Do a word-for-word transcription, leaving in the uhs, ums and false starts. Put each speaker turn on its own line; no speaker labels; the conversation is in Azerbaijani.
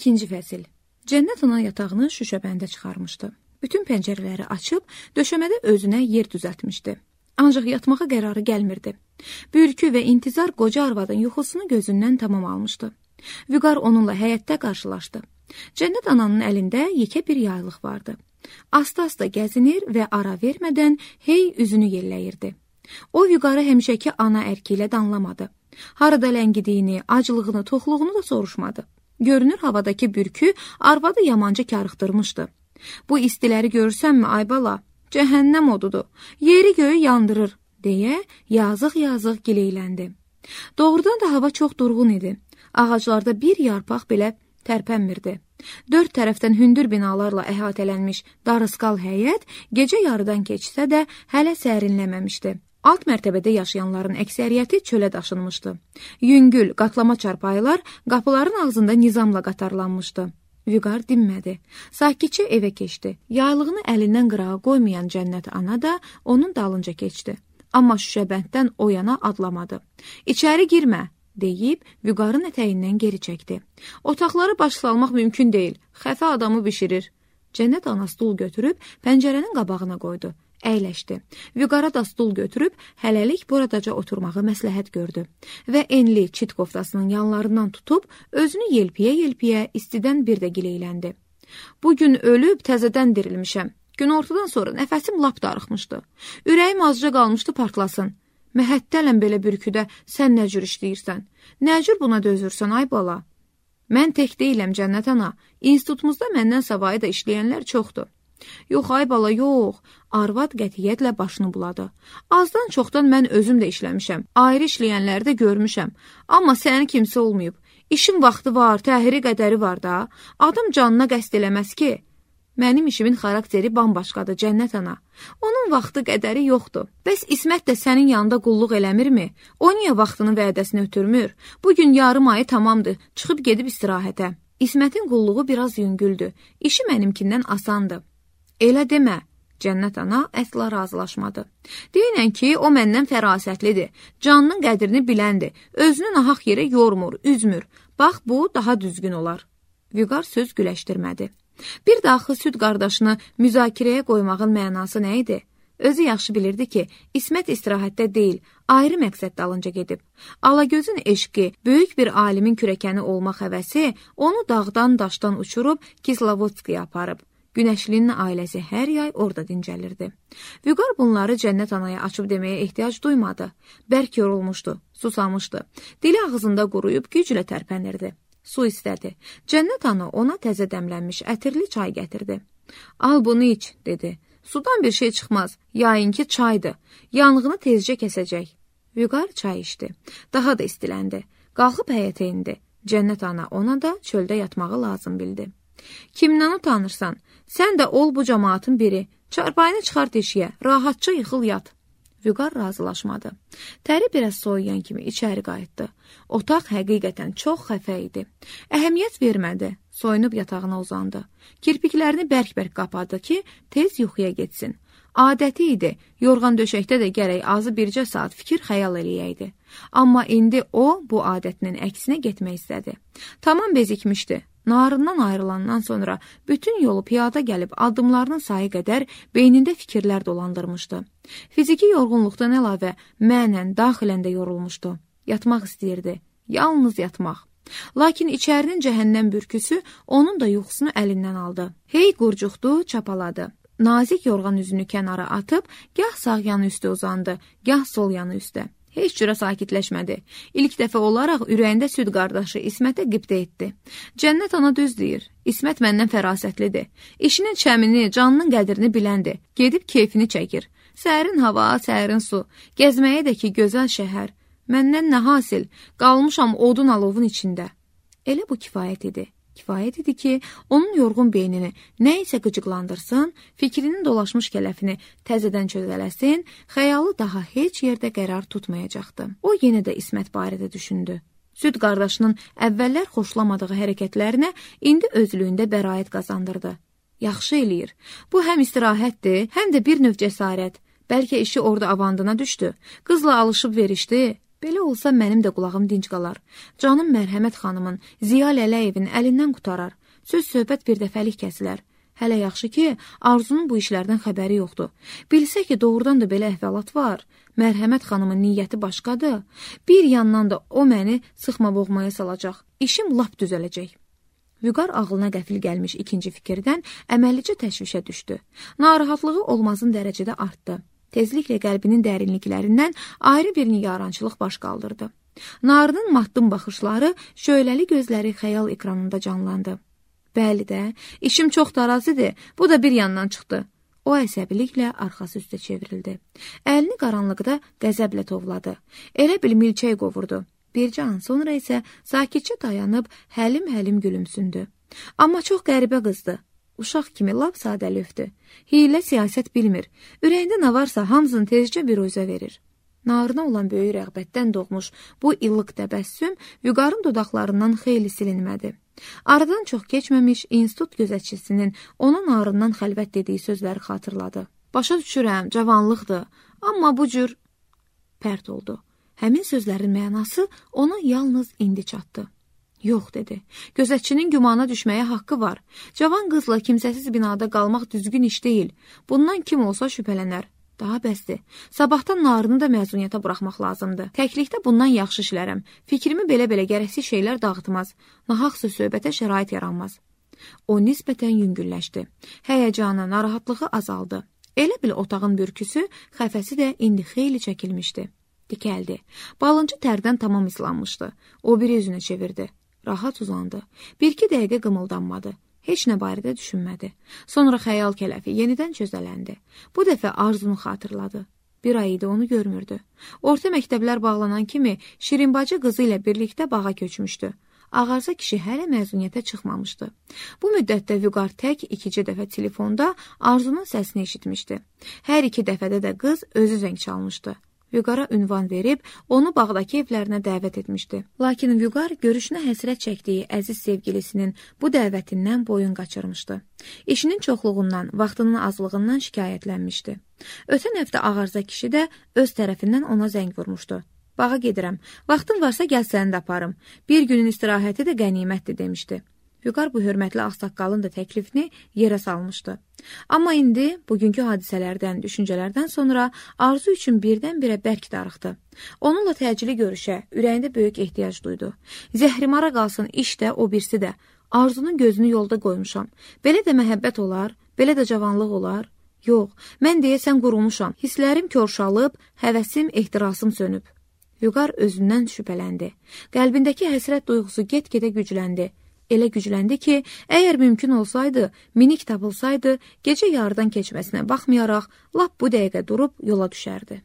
İkinci fəsil. Cənnət ana yatağını şüşəbəndə çıxarmışdı. Bütün pəncərələri açıb, döşəmədə özünə yer düzəltmişdi. Ancaq yatmağa qərarı gəlmirdi. Bürkü və intizar qoca arvadın yuxusunu gözündən tamam almışdı. Vüqar onunla həyətdə qarşılaşdı. Cənnət ananın əlində yekə bir yaylıq vardı. Asta-asta gəzinir və ara vermədən hey üzünü yelləyirdi. O, Vüqarı həmişəki ana ərki ilə danlamadı. Harada ləngidiyini, acılığını, toxluğunu da soruşmadı. Görünür, havadakı bürkü arvadı yamanca karıxdırmışdı. Bu istiləri görürsənmi, ay bala? Cəhənnəm odudur, yeri göyü yandırır, deyə yazıq-yazıq gileyləndi. Doğrudan da hava çox durğun idi. Ağaclarda bir yarpaq belə tərpənmirdi. Dörd tərəfdən hündür binalarla əhatələnmiş darısqal həyət gecə yarıdan keçsə də hələ sərinləməmişdi. Alt mərtəbədə yaşayanların əksəriyyəti çölə daşınmışdı. Yüngül, qatlama çarpayılar qapıların ağzında nizamla qatarlanmışdı. Vüqar dinmədi. Sakitcə evə keçdi. Yaylığını əlindən qırağa qoymayan Cənnət ana da onun dalınca keçdi. Amma şüşəbənddən o yana adlamadı. İçəri girmə, deyib Vüqarın ətəyindən geri çəkdi. Otaqları başsalmaq mümkün deyil. Xəfə adamı bişirir. Cənnət ana stul götürüb pəncərənin qabağına qoydu. Əyləşdi. Vüqara da stul götürüb hələlik buradaca oturmağı məsləhət gördü və enli çit koftasının yanlarından tutub özünü yelpiyə-yelpiyə istidən bir də gileyləndi. Bugün ölüb təzədən dirilmişəm. Günortadan sonra nəfəsim lap darıxmışdı. Ürəyim azca qalmışdı partlasın. Məhəttələm belə bürküdə sən nə cür işləyirsən? Nə cür buna dözürsən, ay bala? Mən tək deyiləm, Cənnət ana. İnstitutumuzda məndən savayı da işləyənlər çoxdur. Yox, ay bala, yox. Arvad qətiyyətlə başını buladı. Azdan çoxdan mən özüm də işləmişəm. Ayrı işləyənləri də görmüşəm. Amma sənin kimsə olmayıb. İşin vaxtı var, təhiri qədəri var da. Adam canına qəsd eləməz ki. Mənim işimin xarakteri bambaşqadır, Cənnət ana. Onun vaxtı qədəri yoxdur. Bəs İsmət də sənin yanında qulluq eləmirmi? O niyə vaxtını vədəsini ötürmür? Bugün yarım ayı tamamdır, çıxıb gedib istirahətə. İsmətin qulluğu biraz yüngüldür. İşi mənimkindən asandır. Elə demə, Cənnət ana əsla razılaşmadı. Deyinən ki, o məndən fərasətlidir, canının qədrini biləndir, özünü nahaq yerə yormur, üzmür. Bax, bu daha düzgün olar. Vüqar söz güləşdirmədi. Bir daxı süd qardaşını müzakirəyə qoymağın mənası nə idi? Özü yaxşı bilirdi ki, İsmət istirahətdə deyil, ayrı məqsəd dalınca gedib. Alagözün eşqi, böyük bir alimin kürəkəni olmaq həvəsi onu dağdan daşdan uçurub Kislovodskaya aparıb. Günəşlinin ailəsi hər yay orada dincəlirdi. Vüqar bunları Cənnət anaya açıb deməyə ehtiyac duymadı. Bərk yorulmuşdu, susamışdı. Dili ağzında quruyub güclə tərpənirdi. Su istədi. Cənnət ana ona təzə dəmlənmiş ətirli çay gətirdi. Al bunu iç, dedi. Sudan bir şey çıxmaz, yayınki çaydır. Yanğını tezcə kəsəcək. Vüqar çay içdi. Daha da istiləndi. Qalxıb həyətə indi. Cənnət ana ona da çöldə yatmağı lazım bildi. Kimdən utanırsan? Sən də ol bu cəmaatın biri. Çarpayını çıxar deşiyə, rahatca yıxıl yat. Vüqar razılaşmadı. Təri biraz soyuyan kimi içəri qayıtdı. Otaq həqiqətən çox xəfə idi. Əhəmiyyət vermədi. Soyunub yatağına uzandı. Kirpiklərini bərk-bərk qapadı ki, tez yuxuya getsin. Adəti idi, yorğan döşəkdə də gərək azı bircə saat fikir xəyal eləyəydi. Amma indi o, bu adətinin əksinə getmək istədi. Tamam bezikmişdi. Narından ayrılandan sonra bütün yolu piyada gəlib addımlarının sayı qədər beynində fikirlər dolandırmışdı. Fiziki yorğunluqdan əlavə mənən, daxilən də yorulmuşdu. Yatmaq istəyirdi, yalnız yatmaq. Lakin içərinin cəhənnəm bürküsü onun da yuxusunu əlindən aldı. Hey qurcuqdu, çapaladı. Nazik yorğan üzünü kənara atıb, gah sağ yanı üstə uzandı, gah sol yanı üstə. Heç cürə sakitləşmədi. İlk dəfə olaraq ürəyində süd qardaşı İsmətə qibdə etdi. Cənnət ana düz deyir. İsmət məndən fərasətlidir. İşinin çəmini, canının qədrini biləndir. Gedib keyfini çəkir. Sərin hava, sərin su. Gəzməyə də ki, gözəl şəhər. Məndən nə hasil? Qalmışam odun alovun içində. Elə bu kifayət idi. Kifayət idi ki, onun yorğun beynini nə isə qıcıqlandırsın, fikrinin dolaşmış kələfini təzədən çözələsin, xəyalı daha heç yerdə qərar tutmayacaqdı. O yenə də İsmət barədə düşündü. Süd qardaşının əvvəllər xoşlamadığı hərəkətlərinə indi özlüyündə bəraət qazandırdı. Yaxşı eləyir. Bu həm istirahətdir, həm də bir növ cəsarət. Bəlkə işi orada avandına düşdü. Qızla alışıb verişdi. Belə olsa mənim də qulağım dinc qalar. Canım Mərhəmət xanımın, Ziya Lələyevin əlindən qutarar. Söz-söhbət bir dəfəlik kəsilər. Hələ yaxşı ki, Arzunun bu işlərdən xəbəri yoxdur. Bilsə ki, doğrudan da belə əhvalat var. Mərhəmət xanımın niyyəti başqadır. Bir yandan da o məni sıxma boğmaya salacaq. İşim lap düzələcək. Vüqar ağlına qəfil gəlmiş ikinci fikirdən əməllicə təşvişə düşdü. Narahatlığı olmazın dərəcədə artdı. Tezliklə qəlbinin dərinliklərindən ayrı bir nigarançılıq baş qaldırdı. Narının matdım baxışları, şöyləli gözləri xəyal ekranında canlandı. Bəli də, işim çox darazidir, bu da bir yandan çıxdı. O əsəbiliklə arxası üstə çevrildi. Əlini qaranlıqda qəzəblə tovladı. Elə bil milçək qovurdu. Bircə an sonra isə sakitcə dayanıb həlim-həlim gülümsündü. Amma çox qəribə qızdı. Uşaq kimi lap sadəlövdür. Hiylə siyasət bilmir. Ürəyində nə varsa hamısını tezcə bir özə verir. Narına olan böyük rəğbətdən doğmuş bu illıq təbəssüm Vüqarın dodaqlarından xeyli silinmədi. Aradan çox keçməmiş institut gözətçisinin ona narından xəlvət dediyi sözləri xatırladı. Başa düşürəm, cavanlıqdır, amma bu cür pərt oldu. Həmin sözlərin mənası ona yalnız indi çatdı. Yox, dedi. Gözətçinin gümana düşməyə haqqı var. Cavan qızla kimsəsiz binada qalmaq düzgün iş deyil. Bundan kim olsa şübhələnər. Daha bəsdir. Sabahdan narını da məzuniyyətə buraxmaq lazımdır. Təklikdə bundan yaxşı işlərəm. Fikrimi belə-belə gərəksiz şeylər dağıtmaz. Nahaq söz-söhbətə şərait yaranmaz. O nisbətən yüngülləşdi. Həyəcanı, narahatlığı azaldı. Elə bil otağın bürküsü, xəfəsi də indi xeyli çəkilmişdi. Dikəldi. Balıncı tərdən tamam islanmışdı. O biri üzünü çevirdi. Rahat uzandı. Bir-iki dəqiqə qımıldanmadı. Heç nə barədə düşünmədi. Sonra xəyal kələfi yenidən çözələndi. Bu dəfə Arzunu xatırladı. Bir ay idi onu görmürdü. Orta məktəblər bağlanan kimi Şirinbacı qızı ilə birlikdə bağa köçmüşdü. Ağarza kişi hələ məzuniyyətə çıxmamışdı. Bu müddətdə Vüqar tək ikinci dəfə telefonda Arzunun səsini eşitmişdi. Hər iki dəfədə də qız özü zəng çalmışdı. Vüqara ünvan verib, onu bağdakı evlərinə dəvət etmişdi. Lakin Vüqar görüşünə həsrət çəkdiyi əziz sevgilisinin bu dəvətindən boyun qaçırmışdı. İşinin çoxluğundan, vaxtının azlığından şikayətlənmişdi. Ötən həftə Ağarza kişi də öz tərəfindən ona zəng vurmuşdu. Bağa gedirəm, vaxtın varsa gəl səni də aparım. Bir günün istirahəti də qənimətdir demişdi. Vüqar bu hörmətli ağsaqqalın da təklifini yerə salmışdı. Amma indi bugünkü hadisələrdən, düşüncələrdən sonra arzu üçün birdən-birə bərk darıxdı. Onunla təcili görüşə, ürəyində böyük ehtiyac duydu. Zəhrimara qalsın iş də, o birisi də. Arzunun gözünü yolda qoymuşam. Belə də məhəbbət olar, belə də cavanlıq olar. Yox, mən deyəsən qurulmuşam. Hisslərim körşalıb, həvəsim, ehtirasım sönüb. Vüqar özündən şübhələndi. Qəlbindəki həsrət duyğusu get-gedə gücləndi. Elə gücləndi ki, əgər mümkün olsaydı, minik tapılsaydı, gecə yarıdan keçməsinə baxmayaraq, lap bu dəqiqə durub yola düşərdi.